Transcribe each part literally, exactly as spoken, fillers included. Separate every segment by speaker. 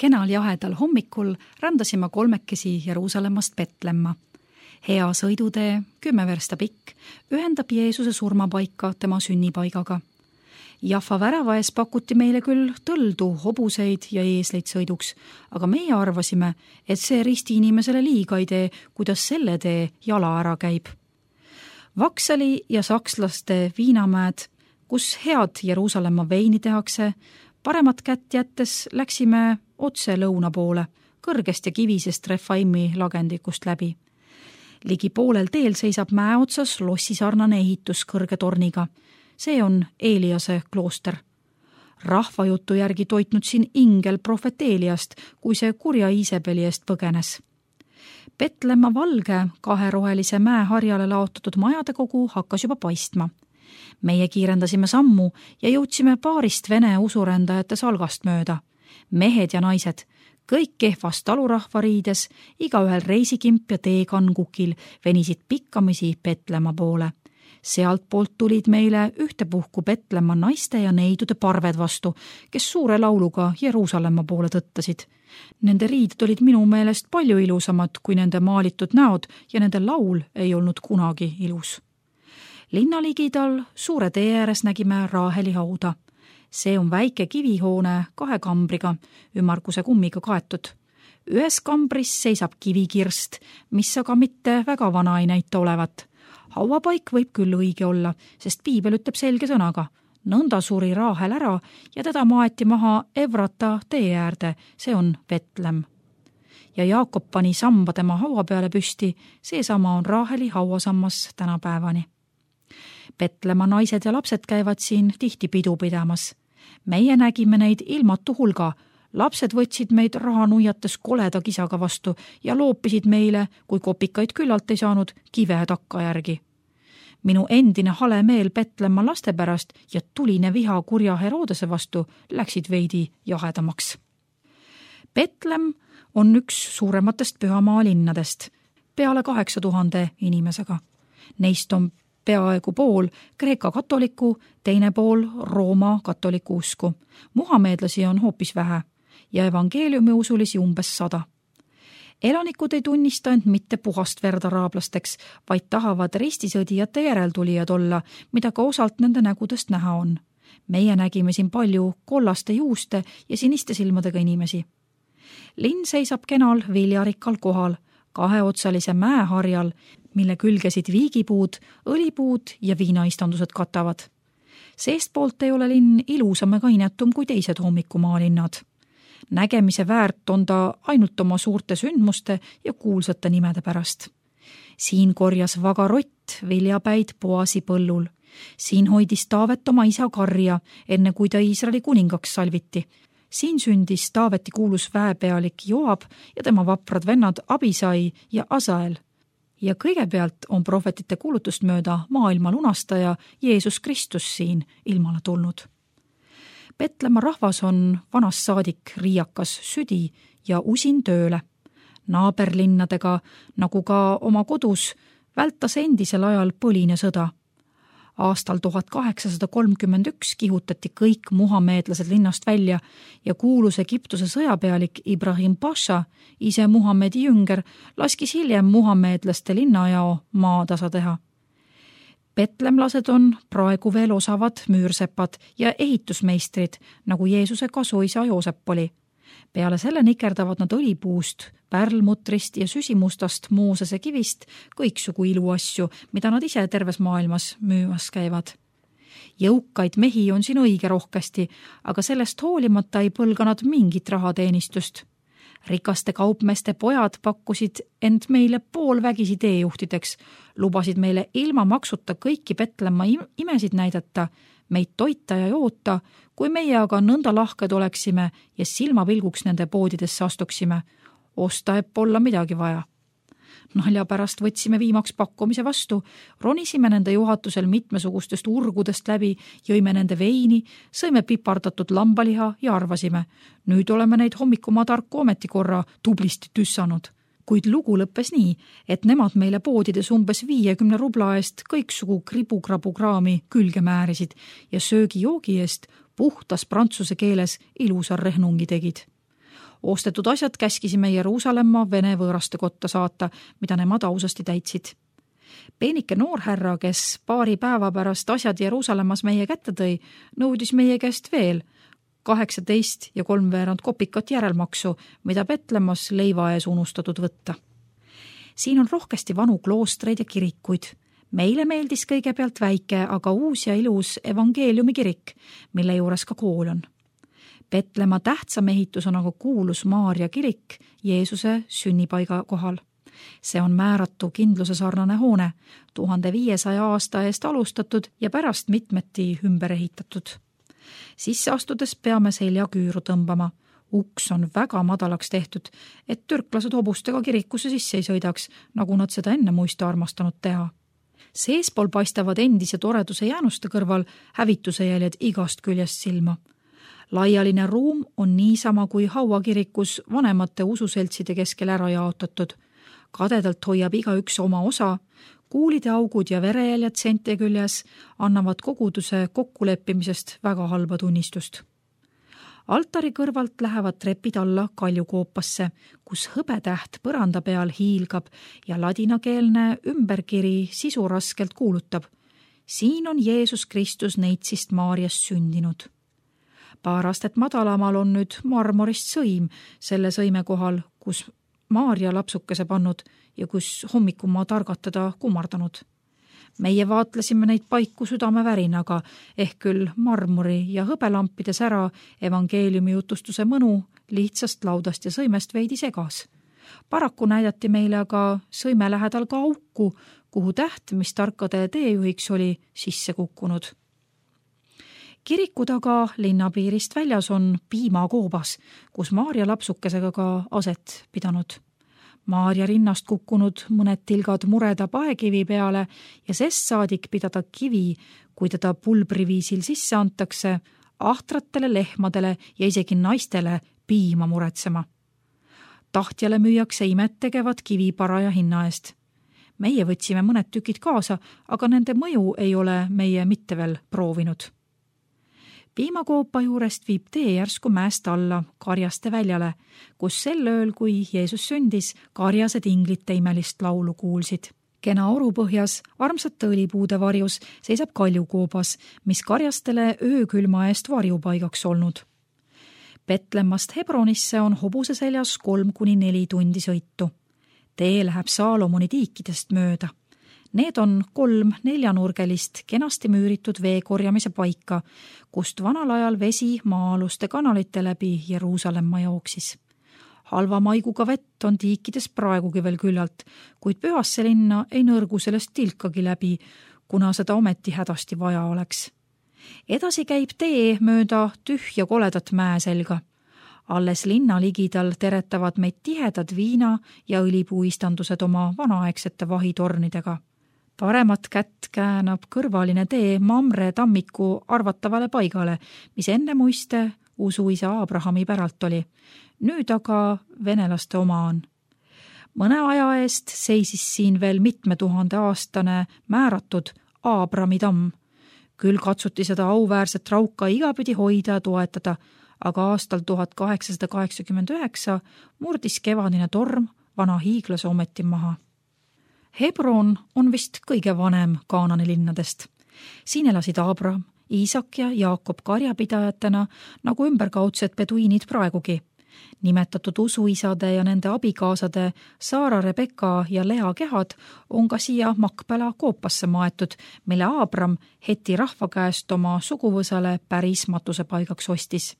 Speaker 1: Kenal jahedal hommikul rändasime kolmekesi Jeruusalemmast Petlemma. Hea sõidutee, kümme versta pikk, ühendab Jeesuse surmapaika tema sünnipaigaga. Jaffa värava ees pakuti meile küll tõldu, hobuseid ja eesleid sõiduks, aga meie arvasime, et see risti inimesele liiga ei tee, kuidas selle tee jala ära käib. Vaksali ja sakslaste viinamäed, kus head Jeruusalemma veini tehakse, paremat kätt jättes läksime otse lõuna poole, kõrgest ja kivisest Refaimi lagendikust läbi. Ligi poolel teel seisab mäe otsas lossisarnane ehitus kõrge torniga. See on Eliase klooster. Rahvajutu järgi toitnud siin ingel prohvet Eliast, kui see kurja Iisebeli eest põgenes. Petlemma valge kaherohelise mäe harjale laotatud majade kogu hakkas juba paistma. Meie kiirendasime sammu ja jõudsime paarist vene usurändajate salgast mööda. Mehed ja naised, kõik kehvast talurahva riides, igaühel reisikimp ja teekangukil venisid pikkamisi Petlemma poole. Sealt poolt tulid meile ühtepuhku Petlemma naiste ja neidude parved vastu, kes suure lauluga Jeruusalemma poole tõttasid. Nende riided olid minu meelest palju ilusamad kui nende maalitud näod ja nende laul ei olnud kunagi ilus. Linnaligidal suure tee ääres nägime Raaheli hauda. See on väike kivihoone kahe kambriga, ümmarguse kummiga kaetud. Ühes kambris seisab kivikirst, mis aga mitte väga vana ei näita olevat. Hauapaik võib küll õige olla, sest piibel ütleb selge sõnaga. Nõnda suri Raahel ära ja teda maeti maha Evrata tee äärde, see on Betlem. Ja Jaakob pani samba tema haua peale püsti, seesama on Raaheli hauasammas tänapäevani. Petlemma naised ja lapsed käivad siin tihti pidu pidamas. Meie nägime neid ilmatu hulga. Lapsed võtsid meid raha nuiates koleda kisaga vastu ja loopisid meile, kui kopikaid küllalt ei saanud, kive takka järgi. Minu endine hale meel Petlemma laste pärast ja tuline viha kurja Herodese vastu läksid veidi jahedamaks. Betlem on üks suurematest pühamaa linnadest, peale kaheksa tuhande inimesega. Neist on peaaegu pool Kreeka katoliku, teine pool Rooma katoliku usku. Muhameedlasi on hoopis vähe ja evangeeliumi usulisi umbes sada. Elanikud ei tunnista end mitte puhast verdaraablasteks, vaid tahavad ristisõdijate järeltulijad olla, mida ka osalt nende nägudest näha on. Meie nägime siin palju kollaste juuste ja siniste silmadega inimesi. Linn seisab kenal viljarikkal kohal, kaheotsalise mäeharjal, mille külgesid viigipuud, õlipuud ja viinaistandused katavad. Seestpoolt ei ole linn ilusam ega inetum kui teised hommikumaalinnad. Nägemise väärt on ta ainult oma suurte sündmuste ja kuulsate nimede pärast. Siin korjas vaga rott viljapäid Boasi põllul. Siin hoidis Taavet oma isa karja, enne kui ta Iisraeli kuningaks salviti. Siin sündis Taaveti kuulus väepealik Joab ja tema vaprad vennad Abisai ja Asael. Ja kõigepealt on prohvetite kuulutust mööda maailma lunastaja Jeesus Kristus siin ilmale tulnud. Petlemma rahvas on vanast saadik riiakas südi ja usin tööle. Naaberlinnadega, nagu ka oma kodus, vältas endisel ajal põline sõda. Aastal tuhat kaheksasada kolmkümmend üks kihutati kõik muhameedlased linnast välja ja kuulus Egiptuse sõjapealik Ibrahim Pasha, ise Muhamedi jünger, laskis hiljem muhameedlaste linnajao maatasa teha. Petlemlased on praegu veel osavad müürsepad ja ehitusmeistrid, nagu Jeesuse kasuisa Joosep oli. Peale selle nikerdavad nad õlipuust, pärlmutrist ja süsimustast Moosese kivist kõiksugu iluasju, mida nad ise terves maailmas müümas käivad. Jõukaid mehi on siin õige rohkesti, aga sellest hoolimata ei põlga nad mingit rahateenistust. Rikaste kaupmeeste pojad pakkusid end meile poolvägisi teejuhtideks, lubasid meile ilma maksuta kõiki Petlemma imesid näidata, meid toita ja joota, kui meie aga nõnda lahked oleksime ja silmapilguks nende poodidesse astuksime. Osta eb olla midagi vaja. Nalja pärast võtsime viimaks pakkumise vastu, ronisime nende juhatusel mitmesugustest urgudest läbi, jõime nende veini, sõime pipardatud lambaliha ja arvasime. Nüüd oleme neid hommikumaa tarku ometikorra tublisti tüssanud. Kuid lugu lõppes nii, et nemad meile poodides umbes viiekümne rubla eest kõiksugu kribu-krabu-kraami külge määrisid ja söögi-joogi eest puhtas prantsuse keeles ilusa rehnungi tegid. Ostetud asjad käskisime Jeruusalemma vene võõraste kotta saata, mida nemad ausasti täitsid. Peenike noorhärra, kes paari päeva pärast asjad Jeruusalemmas meie kätte tõi, nõudis meie käest veel kaheksateist ja kolmveerand kopikat järelmaksu, mida Petlemmas leiva ees unustatud võtta. Siin on rohkesti vanu kloostreid ja kirikuid. Meile meeldis kõigepealt väike, aga uus ja ilus evangeeliumi kirik, mille juures ka kool on. Petlemma tähtsam ehitus on aga kuulus Maarja kirik Jeesuse sünnipaiga kohal. See on määratu kindluse sarnane hoone, tuhande viiesaja aasta eest alustatud ja pärast mitmeti ümber ehitatud. Sisse astudes peame seljaküüru tõmbama. Uks on väga madalaks tehtud, et türklased hobustega kirikusse sisse ei sõidaks, nagu nad seda enne muista armastanud teha. Seespool paistavad endise toreduse jäänuste kõrval hävituse jäljed igast küljest silma. Laialine ruum on niisama kui hauakirikus vanemate ususeltside keskel ära jaotatud. Kadedalt hoiab iga üks oma osa, kuulide augud ja verejäljed sente küljes annavad koguduse kokkuleppimisest väga halba tunnistust. Altari kõrvalt lähevad trepid alla kaljukoopasse, kus hõbetäht põranda peal hiilgab ja ladinakeelne ümberkiri sisu raskelt kuulutab. Siin on Jeesus Kristus neitsist Maarjast sündinud. Paar astet madalamal on nüüd marmorist sõim selle sõime kohal, kus Maarja lapsukese pannud ja kus hommikumaa targatada kummardanud. Meie vaatlesime neid paiku südamevärinaga, ehk küll marmori ja hõbelampides ära evangeeliumi jutustuse mõnu lihtsast laudast ja sõimest veidi segas. Paraku näidati meile aga sõime lähedal ka auku, kuhu täht, mis tarkade teejuhiks oli, sisse kukkunud. Kiriku taga linnapiirist väljas on piimakoobas, kus Maarja lapsukesega ka aset pidanud. Maarja rinnast kukkunud mõned tilgad mureda paekivi peale ja sest saadik pidada kivi, kui teda pulbriviisil sisse antakse, ahtratele lehmadele ja isegi naistele piima muretsema. Tahtjale müüakse imet tegevat kivi paraja hinna eest. Meie võtsime mõned tükid kaasa, aga nende mõju ei ole meie mitte veel proovinud. Piimakoopa juurest viib tee järsku mäest alla Karjaste väljale, kus sel ööl, kui Jeesus sündis, karjased inglite imelist laulu kuulsid. Kena orupõhjas, armsate õlipuude varjus seisab kaljukoobas, mis karjastele öökülma eest varjupaigaks olnud. Petlemmast Hebronisse on hobuse seljas kolm kuni neli tundi sõitu. Tee läheb Saalomoni tiikidest mööda. Need on kolm neljanurgelist kenasti müüritud veekorjamise paika, kust vanal ajal vesi maa-aluste kanalite läbi Jeruusalemma jooksis. Halva maiguga vett on tiikides praegugi veel küllalt, kuid pühasse linna ei nõrgu sellest tilkagi läbi, kuna seda ometi hädasti vaja oleks. Edasi käib tee mööda tühja koledat mäe selga. Alles linna ligidal teretavad meid tihedad viina ja õlipuistandused oma vanaaegsete vahitornidega. Paremat kätt käänab kõrvaline tee Mamre tammiku arvatavale paigale, mis enne muiste usuisa Abrahami päralt oli. Nüüd aga venelaste oma on. Mõne aja eest seisis siin veel mitme tuhande aastane määratud Abrami tamm. Küll katsuti seda auväärset rauka igapidi hoida ja toetada, aga aastal tuhat kaheksasada kaheksakümmend üheksa murdis kevadine torm vana hiiglase ometi maha. Hebron on vist kõige vanem Kaanani linnadest. Siin elasid Abraham, Iisak ja Jaakob karjapidajatena, nagu ümberkaudsed peduiinid praegugi. Nimetatud usuisade ja nende abikaasade Saara, Rebeka ja Lea kehad on ka siia Makpela koopasse maetud, mille Abram Heti rahva käest oma suguvõsale päris matusepaigaks ostis.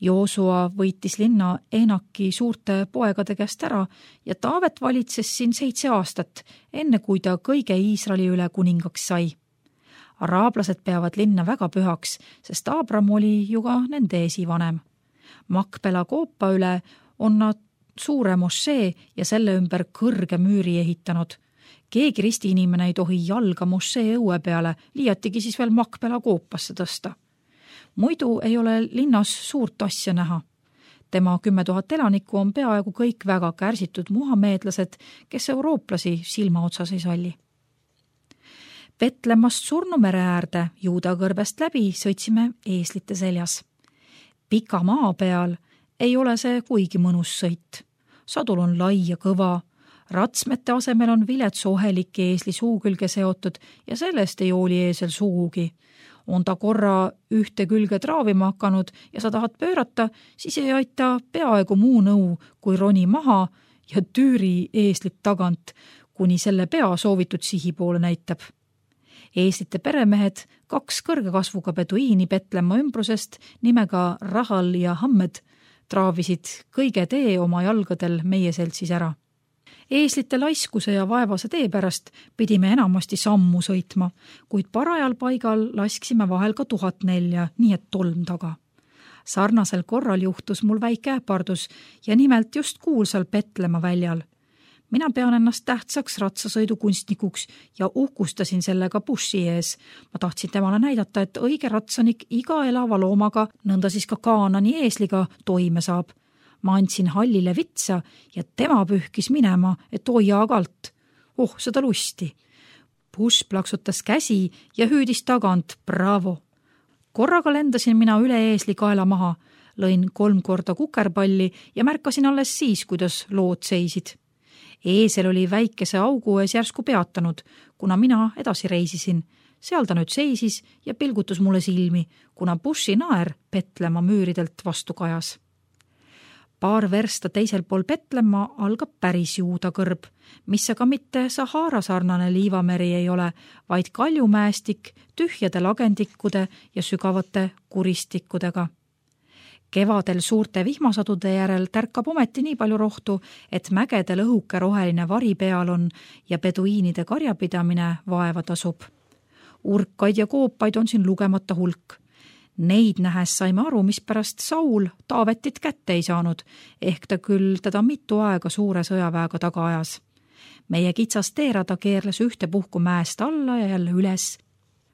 Speaker 1: Joosua võitis linna Enaki suurte poegade käest ära ja Taavet valitses siin seitse aastat, enne kui ta kõige Iisraeli üle kuningaks sai. Araablased peavad linna väga pühaks, sest Abram oli ju ka nende esivanem. Makpela koopa üle on nad suure mošee ja selle ümber kõrge müüri ehitanud. Keegi ristiinimene ei tohi jalga mošee õue peale, liiatigi siis veel Makpela koopasse tõsta. Muidu ei ole linnas suurt asja näha. Tema kümme tuhat elanikku on peaaegu kõik väga kärsitud muhameedlased, kes eurooplasi silma otsas ei salli. Petlemmast Surnumere äärde Juuda kõrbest läbi sõitsime eeslite seljas. Pika maa peal ei ole see kuigi mõnus sõit. Sadul on lai ja kõva, ratsmete asemel on vilets ohelik eesli suu külge seotud ja sellest ei hooli eesel sugugi. On ta korra ühte külge traavima hakanud ja sa tahad pöörata, siis ei aita peaaegu muu nõu, kui roni maha ja tüüri eeslit tagant, kuni selle pea soovitud sihi poole näitab. Eeslite peremehed, kaks kõrge kasvuga beduiini Petlemma ümbrusest nimega Rahal ja Hammed, traavisid kõige tee oma jalgadel meie seltsis ära. Eeslite laiskuse ja vaevase tee pärast pidime enamasti sammu sõitma, kuid parajal paigal lasksime vahel ka tuhat nelja, nii et tolm taga. Sarnasel korral juhtus mul väike äpardus ja nimelt just kuulsal Petlemma väljal. Mina pean ennast tähtsaks ratsasõidukunstnikuks ja uhkustasin sellega bussi ees. Ma tahtsin temale näidata, et õige ratsanik iga elava loomaga, nõnda siis ka kaanani eesliga, toime saab. Ma andsin hallile vitsa ja tema pühkis minema, et hoia agalt. Oh, seda lusti. Buss plaksutas käsi ja hüüdis tagant, bravo. Korraga lendasin mina üle eesli kaela maha, lõin kolm korda kukerpalli ja märkasin alles siis, kuidas lood seisid. Eesel oli väikese augu ees järsku peatanud, kuna mina edasi reisisin. Seal ta nüüd seisis ja pilgutus mulle silmi, kuna bussi naer Petlemma müüridelt vastu kajas. Paar versta teisel pool Petlemma algab päris juuda kõrb, mis aga mitte Sahara sarnane liivameri ei ole, vaid kaljumäestik tühjade lagendikkude ja sügavate kuristikkudega. Kevadel suurte vihmasadude järel tärkab ometi nii palju rohtu, et mägedel õhuke roheline vari peal on ja beduiinide karjapidamine vaeva tasub. Urkaid ja koopaid on siin lugemata hulk. Neid nähes saime aru, mis pärast Saul Taavetit kätte ei saanud, ehk ta küll teda mitu aega suure sõjaväega taga ajas. Meie kitsas teerada keerles ühte puhku mäest alla ja jälle üles.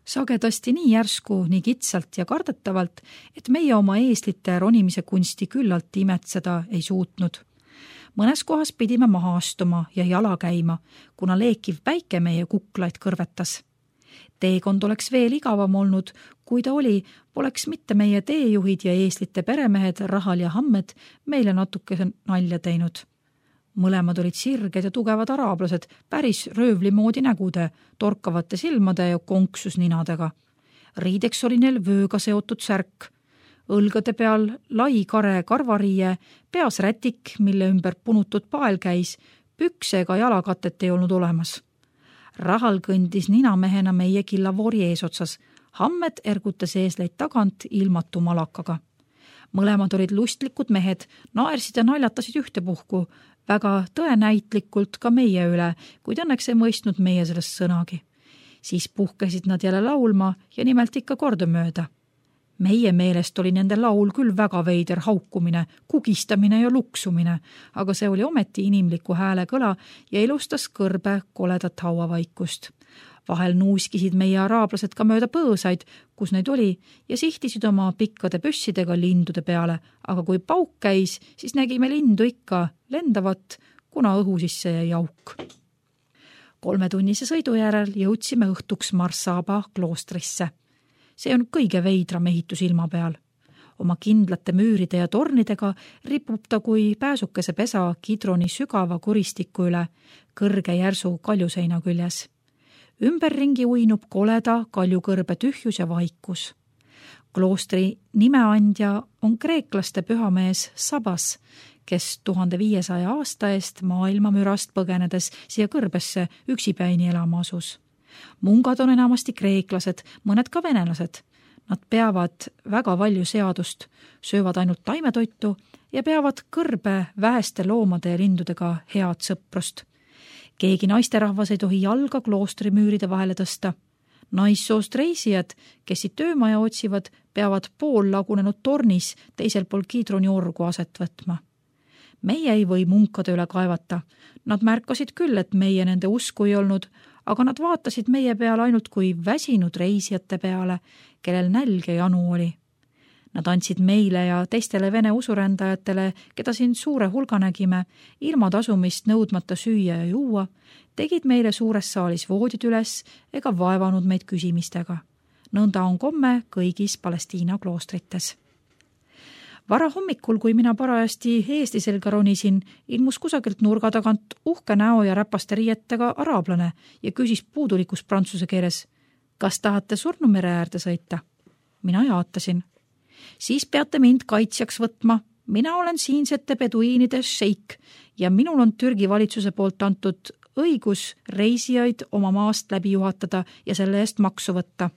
Speaker 1: Sagedasti nii järsku, nii kitsalt ja kardetavalt, et meie oma eeslite ronimise kunsti küllalt imetseda ei suutnud. Mõnes kohas pidime maha astuma ja jala käima, kuna leekiv päike meie kuklaid kõrvetas. Teekond oleks veel igavam olnud, kui ta oli, poleks mitte meie teejuhid ja eeslite peremehed Rahal ja Hammed meile natuke nalja teinud. Mõlemad olid sirged ja tugevad araablased, päris röövli moodi nägude, torkavate silmade ja konksus ninadega. Riideks oli neil vööga seotud särk. Õlgade peal lai kare karvariie, peas rätik, mille ümber punutud pael käis, pükse ega jalakatet ei olnud olemas. Rahal kõndis ninamehena meie killavoori eesotsas. Hammed ergutas eesleid tagant ilmatu malakaga. Mõlemad olid lustlikud mehed, naersid ja naljatasid ühte puhku, väga tõenäitlikult ka meie üle, kuid õnneks ei mõistnud meie sellest sõnagi. Siis puhkesid nad jälle laulma ja nimelt ikka kordamööda. Meie meelest oli nende laul küll väga veider haukumine, kugistamine ja luksumine, aga see oli ometi inimliku hääle kõla ja ilustas kõrbe koledat hauavaikust. Vahel nuuskisid meie araablased ka mööda põõsaid, kus neid oli, ja sihtisid oma pikkade püssidega lindude peale, aga kui pauk käis, siis nägime lindu ikka lendavat, kuna õhu sisse jäi auk. Kolmetunnise sõidu järel jõudsime õhtuks Marsaba kloostrisse. See on kõige veidram ehitus ilma peal. Oma kindlate müüride ja tornidega ripub ta kui pääsukese pesa Kidroni sügava kuristiku üle, kõrge järsu kaljuseina küljes. Ümberringi uinub koleda kaljukõrbe tühjus ja vaikus. Kloostri nimeandja on kreeklaste pühamees Sabas, kes tuhande viiesaja aasta eest maailma mürast põgenedes siia kõrbesse üksipäini elama asus. Mungad on enamasti kreeklased, mõned ka venelased. Nad peavad väga palju seadust, söövad ainult taimetoitu ja peavad kõrbe väheste loomade ja lindudega head sõprust. Keegi naisterahvas ei tohi jalga kloostri müüride vahele tõsta. Naissoost reisijad, kes siit töömaja otsivad, peavad pool lagunenud tornis teisel pool Kidroni orgu aset võtma. Meie ei või munkade üle kaevata. Nad märkasid küll, et meie nende usku ei olnud, aga nad vaatasid meie peale ainult kui väsinud reisijate peale, kellel nälg ja janu oli. Nad andsid meile ja teistele vene usurändajatele, keda siin suure hulga nägime, ilma tasumist nõudmata süüa ja juua, tegid meile suures saalis voodid üles ega vaevanud meid küsimistega. Nõnda on komme kõigis Palestiina kloostrites. Vara hommikul, kui mina parajasti eesti selga ronisin, ilmus kusagilt nurga tagant uhke näo ja räpaste riietega araablane ja küsis puudulikus prantsuse keeles, kas tahate Surnumere äärde sõita? Mina jaatasin. Siis peate mind kaitsjaks võtma. Mina olen siinsete peduiinide šeik ja minul on Türgi valitsuse poolt antud õigus reisijaid oma maast läbi juhatada ja selle eest maksu võtta.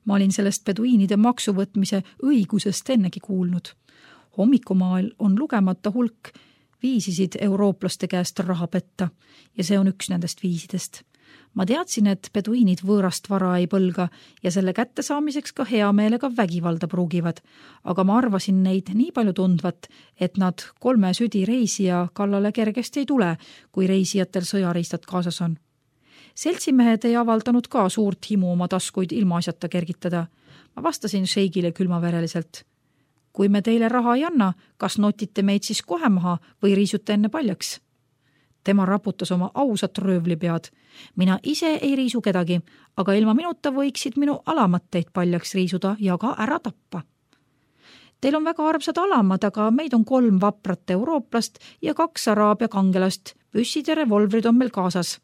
Speaker 1: Ma olin sellest peduiinide maksu võtmise õigusest ennegi kuulnud. Hommikumaal on lugemata hulk viisisid eurooplaste käest raha petta ja see on üks nendest viisidest. Ma teadsin, et peduiinid võõrast vara ei põlga ja selle kätte saamiseks ka hea meelega vägivalda pruugivad, aga ma arvasin neid nii palju tundvat, et nad kolme südi reisija kallale kergesti ei tule, kui reisijatel sõjariistad kaasas on. Seltsimehed ei avaldanud ka suurt himu oma taskuid ilmaasjata kergitada. Ma vastasin šeigile külmavereliselt. Kui me teile raha ei anna, kas notite meid siis kohe maha või riisute enne paljaks? Tema raputas oma ausat röövlipead. Mina ise ei riisu kedagi, aga ilma minuta võiksid minu alamatteid paljaks riisuda ja ka ära tappa. Teil on väga armsad alamad, aga meid on kolm vaprat eurooplast ja kaks araabia kangelast. Püssid ja revolvrid on meil kaasas.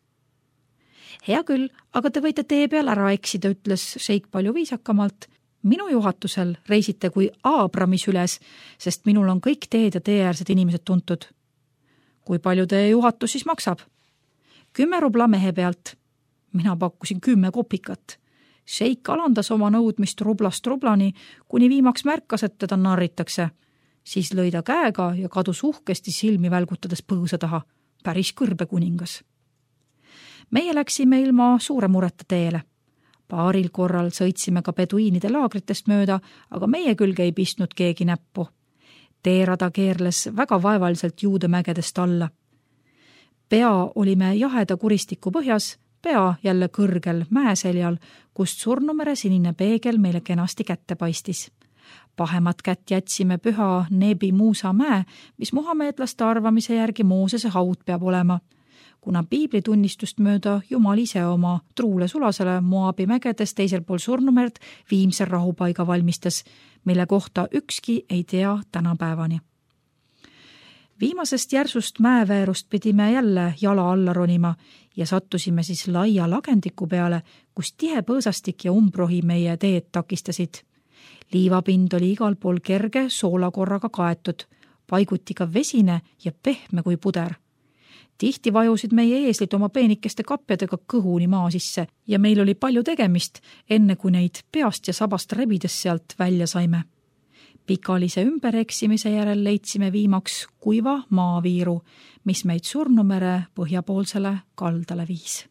Speaker 1: Hea küll, aga te võite tee peal ära eksida, ütles šeik palju viisakamalt. Minu juhatusel reisite kui Aabramis üles, sest minul on kõik teed ja teeäärsed inimesed tuntud. Kui palju teie juhatus siis maksab? Kümme rubla mehe pealt. Mina pakkusin kümme kopikat. Šeik alandas oma nõudmist rublast rublani, kuni viimaks märkas, et teda narritakse. Siis lõi ta käega ja kadus uhkesti silmi välgutades põõsa taha. Päris kõrbe kuningas. Meie läksime ilma suure mureta teele. Paaril korral sõitsime ka peduiinide laagritest mööda, aga meie külge ei pistnud keegi näppu. Teerada keerles väga vaevaliselt juudemägedest alla. Pea olime jaheda kuristiku põhjas, pea jälle kõrgel mäeseljal, kust Surnumere sinine peegel meile kenasti kätte paistis. Pahemat kätt jätsime püha Nebi Muusa mäe, mis muhameedlaste arvamise järgi Moosese haud peab olema. Kuna piibli tunnistust mööda Jumal ise oma truule sulasele Moabi mägedes teisel pool Surnumerd viimse rahupaiga valmistas, mille kohta ükski ei tea tänapäevani. Viimasest järsust mäeväärust pidime jälle jala alla ronima ja sattusime siis laia lagendiku peale, kus tihe põõsastik ja umbrohi meie teed takistasid. Liivapind oli igal pool kerge soolakorraga kaetud, paiguti ka vesine ja pehme kui puder. Tihti vajusid meie eeslid oma peenikeste kapjadega kõhuni maa sisse ja meil oli palju tegemist, enne kui neid peast ja sabast rebides sealt välja saime. Pikalise ümbereksimise järel leidsime viimaks kuiva maaviiru, mis meid Surnumere põhjapoolsele kaldale viis.